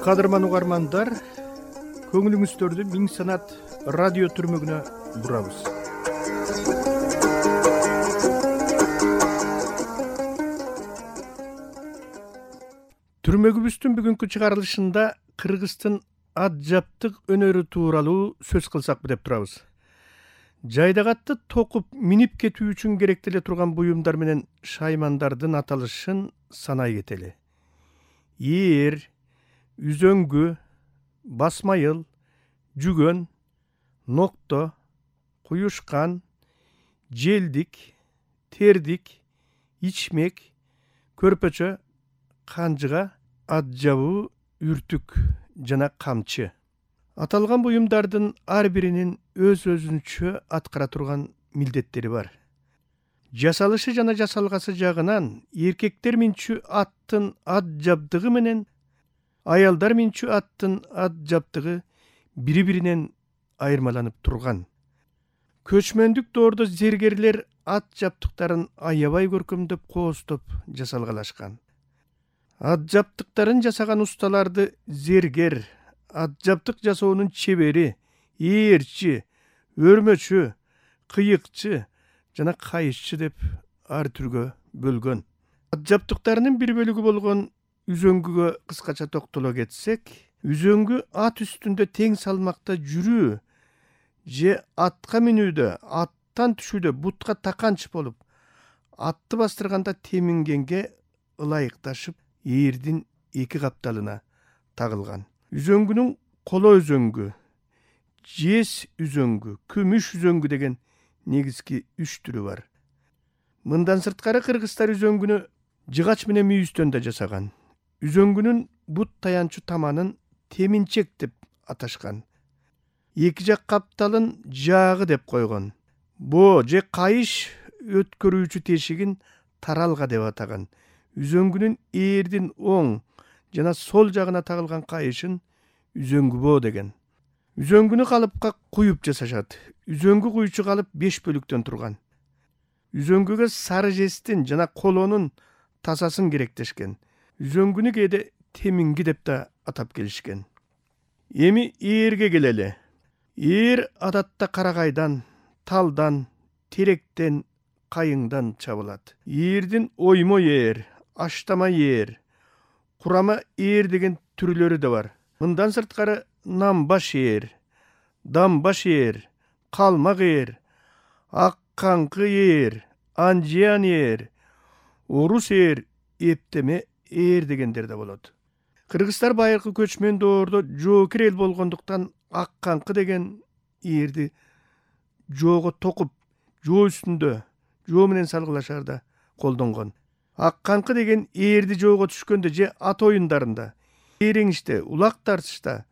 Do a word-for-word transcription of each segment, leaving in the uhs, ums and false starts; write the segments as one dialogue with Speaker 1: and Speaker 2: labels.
Speaker 1: Кадырман угармандар, көңүлүңүздөрдү Миң санат радио түрмөгүнө бурабыз. Түрмөгүбүздүн бүгүнкү чыгарылышында Кыргыздын атжаптык өнөрү тууралуу сөз кылсак деп турабыз. Жайдагатты токуп минип кетүү үчүн керектеле турган буюмдар менен шаймандардын аталышын санай кетели. Ээр, үзөңгү, басмайыл, жүгөн, нокто, куюшкан, желдик, тердик, ичмек, көрпөчө, канжыга, атжабуу, үртүк жана камчы. Аталган буюмдардын ар биринин өз-өзүнчө аткара турган милдеттери бар. Жасалышы жана жасалгасы жагынан эркектер минчү аттын ат жабдыгы менен аялдар минчү аттын ат жабдыгы бири-биринен айырмаланып турган. Көчмөндүк доордо зергерлер ат жабдыктарын аябай көркөмдөп кооздоп жасалгалашкан. Ат жабдыктарын жасаган усталарды зергер, ат жабдык жасоонун чебери, ээрчи, өрмөчү, кыйыкчы жана кайышчы деп ар түргө бөлгөн. Ат жабдыктарынын бир бөлүгү болгон үзөңгүгө кыскача токтоло кетсек, үзөңгү ат үстүндө тең салмакта жүрүү же атка минүүдө, аттан түшүүдө бутка таканч болуп, атты бастырганда темингенге ылайыкташып, ээрдин эки капталына тагылган. Үзөңгүнүн коло үзөңгү, жез үзөңгү, күмүш үзөңгү деген негизги үч түрү бар. Мындан сырткары кыргыздар үзөңгүнү жыгач менен мүйүздөн да жасаган. Үзөңгүнүн бут таянчу таманын теминчек деп аташкан. Эки жак капталын жаагы деп койгон. Боо же кайыш өткөрүүчү тешигин таралга деп атаган. Үзөңгүнүн ээрдин оң жана сол жагына тагылган кайышын үзөңгү боо деген. Үзөңгүнү калыпка куюп жасашат. Үзөңгү куючу калып беш бөлүктөн турган. Үзөңгүгө сары жестин жана колонун тасасын керектешкен. Үзөңгүнү кээде теминги деп да атап келишкен. Эми ээрге келели. Ээр адатта карагайдан, талдан, теректен, кайыңдан чабылат. Ээрдин оймо ээр, аштама ээр, курама ээр деген түрлөрү да бар. Мындан сырткары намбаш ээр, дамбаш ээр, калмак ээр, ак каңкы ээр, анжиян ээр, орус ээр, эптеме ээр дегендер да болот. Кыргыздар байыркы көчмөн доордо жоокер эл болгондуктан ак каңкы деген ээрди жоого токуп, жоо үстүндө, жоо менен салгылашаарда колдонгон. Ак каңкы деген ээрди жоого түшкөндө же ат оюндарында, ээреңиште, улак тартышта,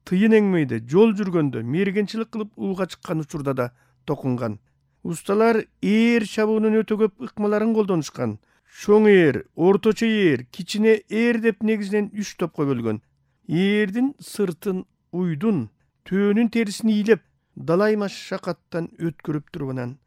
Speaker 1: тыйын эңмейде, жол жүргөндө, мергенчилик кылып ууга чыккан учурда да токунган. Усталар ээр чабуунун өтө көп ыкмаларын колдонушкан. Чоң ээр, орточо ээр, кичине ээр деп негизинен үч топко бөлгөн. Ээрдин сыртын уйдун, төөнүн терисин ийлеп, далай машакаттан өткөрүп турганан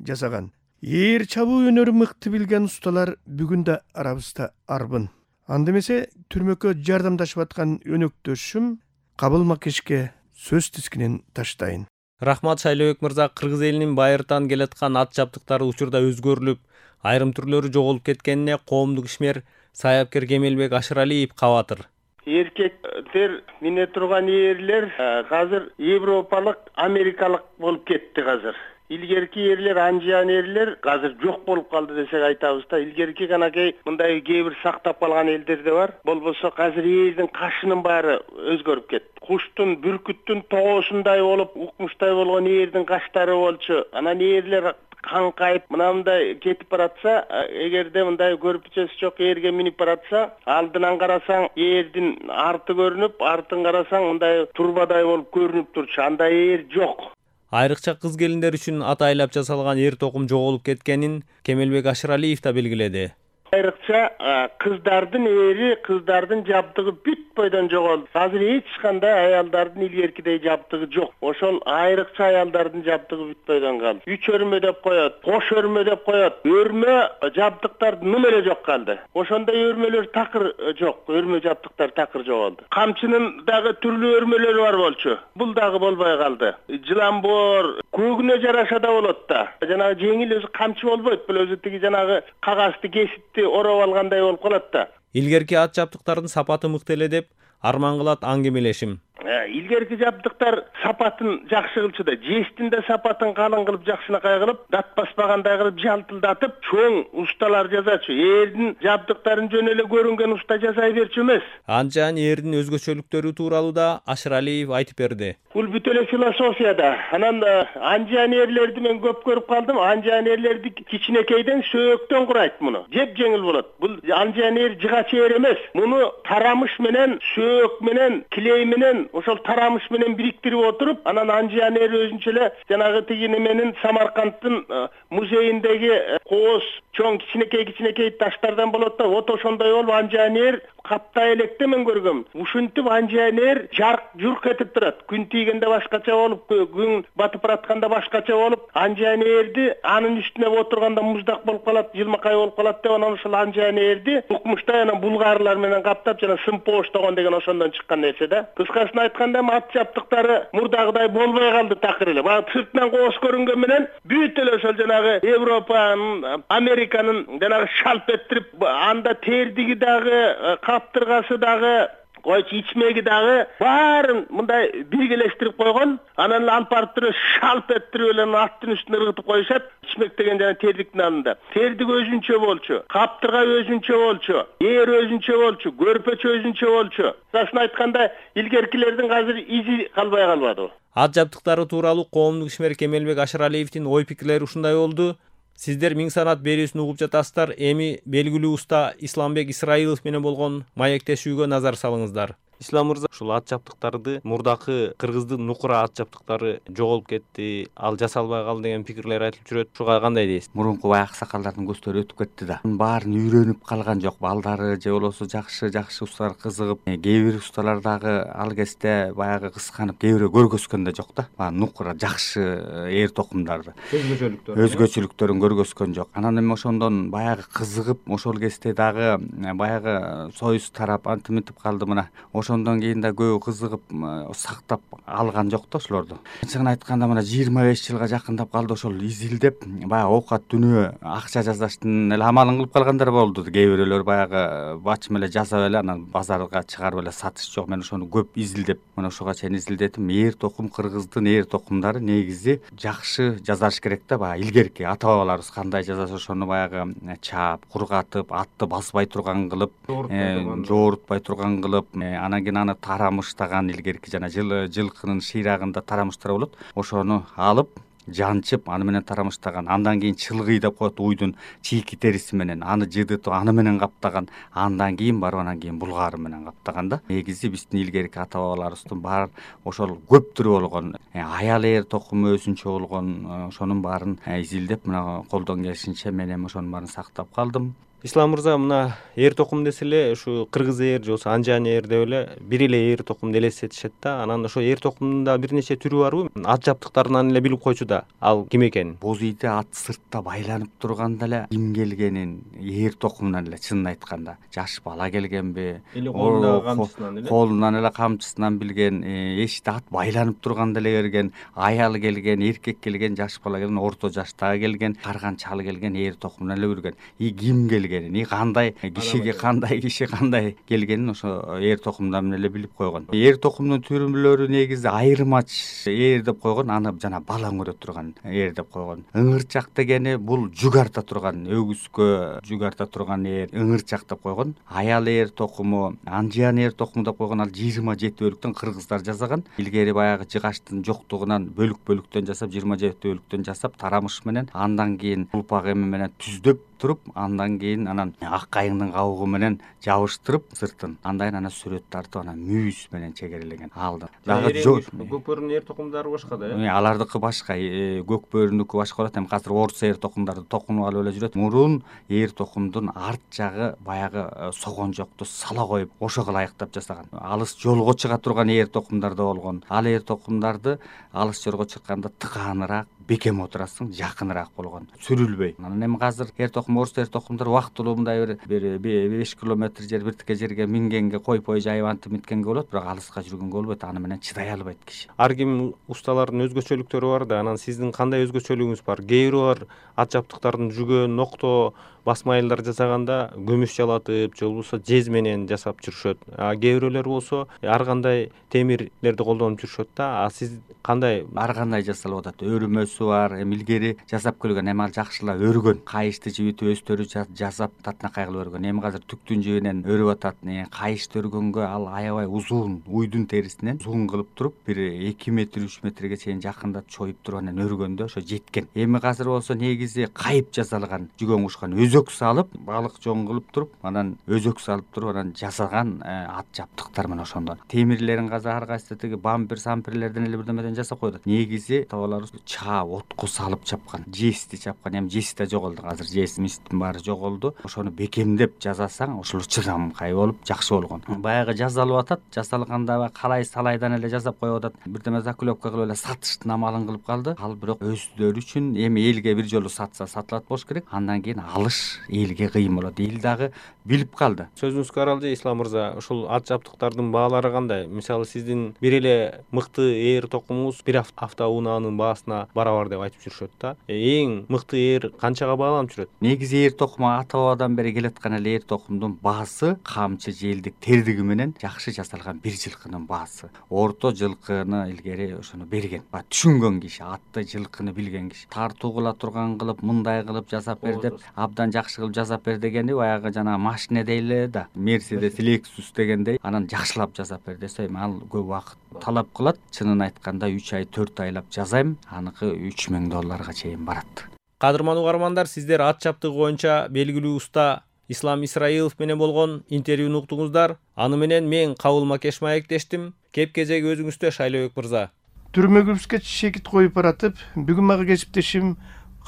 Speaker 1: жасаган. Ээр чабуу өнөрүн мыкты билген усталар бүгүн да арабызда арбын. Анда эмесе түрмөккө жардамдашып аткан өнөктөшүм Кабыл Макешке сөз тискинин таштайын.
Speaker 2: Рахмат Шайлообек мырза. Кыргыз элинин байыртан келаткан ат жабдыктары учурда өзгөрүлүп, айрым түрлөрү жоголуп кеткенине коомдук ишмер саяпкер Кемелбек Ашыралиев кабатыр.
Speaker 3: Эркектер мине турган ээрлер азыр европалык, америкалык болуп кетти азыр. Илгерки ээрлер, анжиян ээрлер азыр жок болуп калды десек айтабыз да. Илгерки канакей мындай кээ бир сактап калган элдер да бар. Болбосо азыр ээрдин кашынын баары өзгөрүп кетти. Куштун, бүркүттүн тоосундай болуп, укмуштай болгон ээрдин каштары болчу. Анан ээрлер каңкайып мынандай кетип баратса, эгерде мындай көрпүчөсү жок ээрге минип баратса, алдынан карасаң ээрдин арты көрүнүп, артын карасаң мындай турбадай болуп көрүнүп турчу. Андай ээр жок.
Speaker 2: Айрыкча кыз келиндер үчүн ат айлап жасалган эр токум жоголуп кеткенин Кемелбек Ашыралиев да белгиледи.
Speaker 3: Айрыкча кыздардын эри, кыздардын жабдыгы бүт бойдон жоголду. Азыр эч кандай аялдардын илгеркидей жабдыгы жок. Ошол айрыкча аялдардын жабдыгы бүт бойдон калды. Үч өрмө деп коет, кош өрмө деп коет. Өрмө жабдыктар ним эле жок калды. Ошондой өрмөлөр такыр жок, өрмө жабдыктар такыр жоголду. Камчынын дагы түрлүү өрмөлөрү бар болчу. Бул дагы болбой калды. Жыламбор көөгүнө жараша да болот да. Жанагы жеңил өзү камчы болбойт, бул өзү тиги жанагы кагазды кесипти ороп алгандай болуп калат да.
Speaker 2: Илгерки ат жабдыктардын сапаты мыкты эле деп арман кылат аңгемелешим.
Speaker 3: Илгерки жабдыктар сапатын жакшы кылчу да, жестин да сапатын калың кылып, жакшынакай кылып, дат баспагандай кылып жалтылдатып, чоң усталар жазачу. Эрдин жабдыктарын жөн эле көрүнгөн уста жасай берчү эмес.
Speaker 2: Анча эрдин өзгөчөлүктөрү тууралуу да Ашыралиев айтып берди.
Speaker 3: Бул бүт эле философияда. Анан анжан эрлерди мен көп көрүп калдым. Анжан эрлерди кичинекейден сөөктөн курайт муну. Жеп жеңил болот. Бул анжан эр жыгач эр эмес. Муну тарамыш менен, сөөк менен, килей менен, ошол тарамыш менен бириктирип отуруп, анан анжан эр өзүнчө эле жанагы тиги неменин Самаркандтын музейиндеги кооз чоң кичинекей кичинекей таштардан болот да, вот ошондой болуп анжан эр каптай электе мен көргөм. Ушинтип анжан эр жарк журк этип турат. Күн тийгенде башкача болуп, күн батып баратканда башкача болуп, анжан эрди анын үстүнө отурганда муздак болуп калат, жылмакай болуп калат деп, анан ошол анжан эрди укмуштай анан булгарлар менен каптап, жана сымпоош деген деген ошондон чыккан нерсе да. Кыскасын айтканда ат жабдыктары мурдагыдай болбой калды такыр эле. Бага сыртынан кооз көрүнгөн менен бүт эле ошол жанагы Европанын, Американын жанагы шалп эттирип, анда тердиги дагы, каптыргасы дагы, койчу ичмеги дагы баарын мындай биргелештирип койгон. Анан алып барып туруп шалп эттирип эле аттын үстүнө ыргытып коюшат. Ичмек деген жана тердиктин алында. Тердик өзүнчө болчу, каптырга өзүнчө болчу, ээр өзүнчө болчу, көрпөчө өзүнчө болчу. Расын айтканда илгеркилердин азыр изи калбай калбады.
Speaker 2: Ат жабдыктары тууралуу коомдук ишмер Кемелбек Ашыралиевдин ой пикирлери ушундай болду. Сиздер Миң санат берүүсүн угуп жатасыздар. Эми белгилүү уста Исламбек Исраилов менен болгон маектешүүгө назар салыңыздар. Ислам мырза, ушул ат жабдыктарды мурдакы кыргыздын нукура ат жабдыктары жоголуп кетти, ал жасалбай калды деген пикирлер айтылып жүрөт. Ушуга кандай дейсиз?
Speaker 4: Мурунку бай аксакалдардын көздөр өтүп кетти да. Баарын үйрөнүп калган жок. Балдары же болбосо жакшы жакшы усталар кызыгып, кээ бир усталар дагы ал кезде баягы кысканып, кээ бирөө көргөзгөн да жок да. Баягы нукура жакшы эр токумдарды,
Speaker 2: өзгөчөлүктөр
Speaker 4: өзгөчөлүктөрүн көргөзгөн жок. Анан эми ошондон баягы кызыгып, ошол кезде дагы баягы союз тарап антип мынтип калды мына. Ошондон кийин да көбү кызыгып сактап алган жок да ошолорду. Чын айтканда мына жыйырма беш жылга жакындап калды ошол изилдеп, баягы оокат дүнөө акча жасаштын эле амалын кылып калгандар болду. Кээ бирөөлөр баягы бачым эле жасап эле анан базарга чыгарып эле сатыш жок. Мен ошону көп изилдеп, мына ушуга чейин изилдетим. Эр токум, кыргыздын эр токумдары негизи жакшы жазаш керек да. Баягы илгерки ата бабаларыбыз кандай жазса ошону баягы чаап, кургатып, атты басбай турган кылып, жоорутпай турган кылып, анан кийин аны тарамыштаган илгерки жана жылкынын шыйрагында тарамыштар болот. Ошону алып жанчып, аны менен тарамыштаган. Андан кийин чылгый деп коет, уйдун чийки териси менен аны жыдытып, аны менен каптаган. Андан кийин барып анан кийин булгары менен каптаган да. Негизи биздин илгерки ата бабаларыбыздын баары ошол көп түрү болгон, аял эр токуму өзүнчө болгон, ошонун баарын изилдеп, мына колдон келишинче мен эми ошонун баарын сактап калдым.
Speaker 2: Ислам мырза, мына эр токум десе эле ушу кыргыз эр же болбосо анжан эр деп эле бир эле эр токумду элестетишет да. Анан ошо эр токумдун да бир нече түрү барбы? Ат жабдыктарынан эле билип койчу да ал ким экенин.
Speaker 4: Боз ийде ат сыртта байланып турганда эле ким келгенин эр токумунан эле чынын айтканда жаш бала келгенби,
Speaker 2: эле колундагы камчысынан эле
Speaker 4: колунан эле камчысынан билген, эшикте ат байланып турганда эле келген, аял келген, эркек келген, жаш бала келген, орто жаштагы келген, карган чал келген эр токумунан эле билген. И ким келген, и кандай кишиге кандай киши кандай келгенин ошо эр токумдан эле билип койгон. Эр токумдун түрүлөрү негизи айырмач эр деп койгон, аны жана балаң өрө турган эр деп койгон. Ыңырчак дегени бул жүк арта турган, өгүзгө жүк арта турган эр ыңырчак деп койгон. Аял эр токуму, анжан эр токуму деп койгон, ал жыйырма жети бөлүктөн кыргыздар жасаган. Илгери баягы жыгачтын жоктугунан бөлүк бөлүктөн жасап, жыйырма жети бөлүктөн жасап, тарамыш менен, андан кийин улпак эме менен түздөп туруп, андан кийин анан ак кайыңдын кабыгы менен жабыштырып сыртын, андан кийин анан сүрөт тартып, анан мүйүз менен чегерелеген алды.
Speaker 2: Дагы көк бөрүнүн эр токумдары башка да, э?
Speaker 4: Алардыкы башка, көк бөрүнүкү башка болот. Эми азыр орус эр токумдарды токунуп алып эле жүрөт. Мурун эр токумдун арт жагы баягы согонжокту сала коюп, ошого ылайыктап жасаган. Алыс жолго чыга турган эр токумдарда болгон. Ал эр токумдарды алыс жолго чыкканда тыкааныраак, бекем отурасың, жакыныраак болгон, сүрүлбөй. Анан эми азыр эр токум, орус эр токумдар убактылуу мындай бир беш километр жер, бир тике жерге мингенге, койпой жайып антип минткенге болот, бирок алыска жүргөнгө болбойт. Аны менен чыдай албайт киши.
Speaker 2: Ар ким усталардын өзгөчөлүктөрү бар да, анан сиздин кандай өзгөчөлүгүңүз бар? Кээ бирөө ат жабдыктарын жүгөн, нокто, басма айылдар жасаганда көмүш жалатып, же болбосо жез менен жасап жүрүшөт. А кээ бирөөлөр болсо ар кандай темирлерди колдонуп жүрүшөт да. А сиз кандай?
Speaker 4: Ар кандай жасалып атат. Өрүмөсү бар, эми илгери жасап келген, эми ал жакшылап өргөн. Кайышты жибитип өстөрү жасап татынакай кылып өргөн. Эми азыр түктүн жибинен өрүп атат. Кайышты өргөнгө ал аябай узун, уйдун терисинен узун кылып туруп, бир эки метр, үч метрге чейин жакындап чоюп туруп анан өргөндө ошо жеткен. Эми азыр болсо негизи кайып жасалган, жүгөн кушкан өзөк салып, балык жон кылып туруп, анан өзөк салып туруп, анан жасаган ат жабдыктар менен ошондон. Темирлерин азыр ар кайсы тиги бампер, самперлерден эле бирдемеден жасап коет. Негизи табаларыбыз чаап, отко салып чапкан, жести чапкан. Эми жеси да жоголду. Азыр жесимиздин баары жоголду. Ошону бекемдеп жасасаң, ошол чыдамкай болуп, жакшы болгон. Баягы жасалып атат, жасалганда калай салайдан эле жасап коюп атат. Бирдеме закулевка кылып эле сатыштын амалын кылып калды. Ал бирок өздөрү үчүн эми элге бир жолу сатса сатылат болуш керек. Андан кийин алыш элге кыйын болот. Эл дагы билип калды.
Speaker 2: Сөзүңүзгө каралды, Ислам мырза. Ушул ат жабдыктардын баалары кандай? Мисалы сиздин бир эле мыкты эр токумуңуз бир автоунаанын баасына барабар деп айтып жүрүшөт да. Эң мыкты эр канчага бааланып жүрөт?
Speaker 4: Негизи эр токуму ата бабадан бери келаткан эле эр токумдун баасы камчы, желдик, тердиги менен жакшы жасалган бир жылкынын баасы. Орто жылкыны илгери ошону берген. Түшүнгөн киши, атты, жылкыны билген киши. Тартуу кыла турган кылып, мындай кылып жасап бер деп, абдан жакшы кылып жасап бер дегенди баягы жана машина дейле да, Mercedes, Lexus дегендей, анан жакшылап жасап бер десе, ал көп убакыт талап кылат. Чынын айтканда үч ай, төрт айлап жасайм, аныкы үч миң долларга чейин барат.
Speaker 2: Кадырман угармандар, сиздер ат жабдыгы боюнча белгилүү уста Ислам Исраилов менен болгон интервьюну уктуңуздар. Аны менен мен Кабыл Макеш маектештим. Кеп кезеги өзүңүздө, Шайлообек мырза.
Speaker 1: Түрмөгүбүзгө чекит коюп баратып, бүгүн мага кесиптешим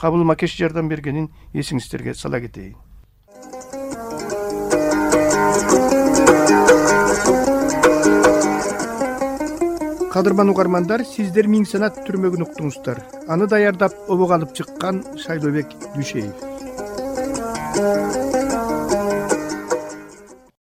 Speaker 1: Кабыл Макеш жардам бергенин эсиңиздерге сала кетейин. Кадырман угармандар, сиздер Миң санат түрмөгүн уктуңуздар. Аны даярдап обого алып чыккан Шайлообек Дүйшеев.